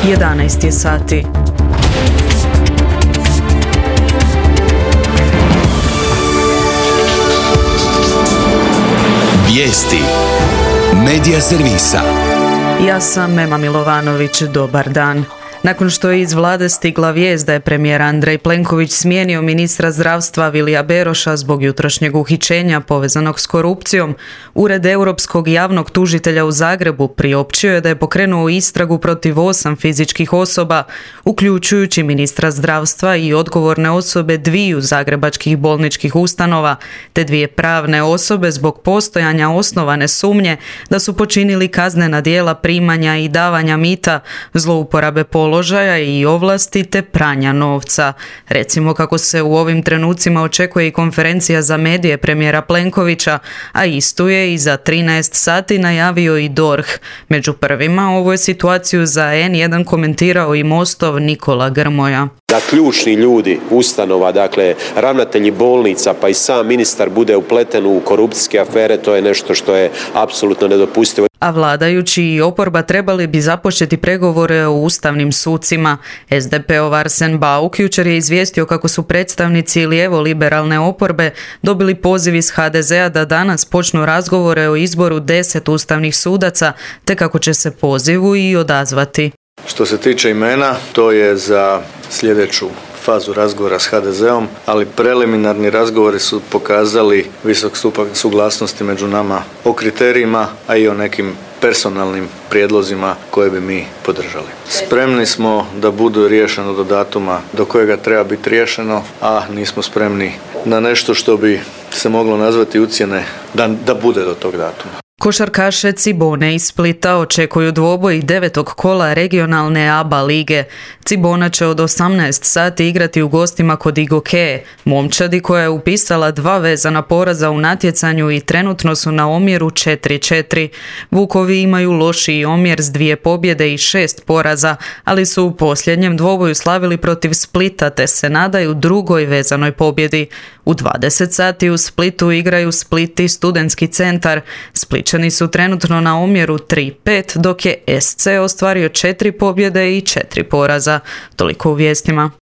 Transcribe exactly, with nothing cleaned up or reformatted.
jedanaest je sati. Vijesti Medija servisa. Ja sam Mema Milovanović, dobar dan. Nakon što je iz vlade stigla vijest da je premijer Andrej Plenković smijenio ministra zdravstva Vilija Beroša zbog jutrošnjeg uhićenja povezanog s korupcijom, Ured Europskog javnog tužitelja u Zagrebu priopćio je da je pokrenuo istragu protiv osam fizičkih osoba, uključujući ministra zdravstva i odgovorne osobe dviju zagrebačkih bolničkih ustanova, te dvije pravne osobe zbog postojanja osnovane sumnje da su počinili kaznena djela primanja i davanja mita, zlouporabe položaja položaja i ovlasti te pranja novca. Recimo kako se u ovim trenucima očekuje i konferencija za medije premijera Plenkovića, a istu je i za trinaest sati najavio i D O R H. Među prvima ovu je situaciju za en jedan komentirao i Mostov Nikola Grmoja. Da ključni ljudi ustanova, dakle ravnatelji bolnica pa i sam ministar bude upleten u korupcijske afere, to je nešto što je apsolutno nedopustivo. A vladajući i oporba trebali bi započeti pregovore o ustavnim sucima. es de pe-ov Arsen Bauk jučer je izvijestio kako su predstavnici lijevo-liberalne oporbe dobili poziv iz ha de zea da danas počnu razgovore o izboru deset ustavnih sudaca, te kako će se pozivu i odazvati. Što se tiče imena, to je za sljedeću fazu razgovora s ha de zeom, ali preliminarni razgovori su pokazali visok stupanj suglasnosti među nama o kriterijima, a i o nekim personalnim prijedlozima koje bi mi podržali. Spremni smo da budu riješeno do datuma do kojega treba biti riješeno, a nismo spremni na nešto što bi se moglo nazvati ucjene da, da bude do tog datuma. Košarkaše Cibone iz Splita očekuju dvoboj devetog kola regionalne A B A lige. Cibona će od osamnaest sati igrati u gostima kod Igoke, momčadi koja je upisala dva vezana poraza u natjecanju i trenutno su na omjeru četiri četiri. Vukovi imaju lošiji omjer s dvije pobjede i šest poraza, ali su u posljednjem dvoboju slavili protiv Splita te se nadaju drugoj vezanoj pobjedi. U dvadeset sati u Splitu igraju Split i Studentski centar. Spličani su trenutno na omjeru tri pet, dok je es ce ostvario četiri pobjede i četiri poraza. Toliko u vijestima.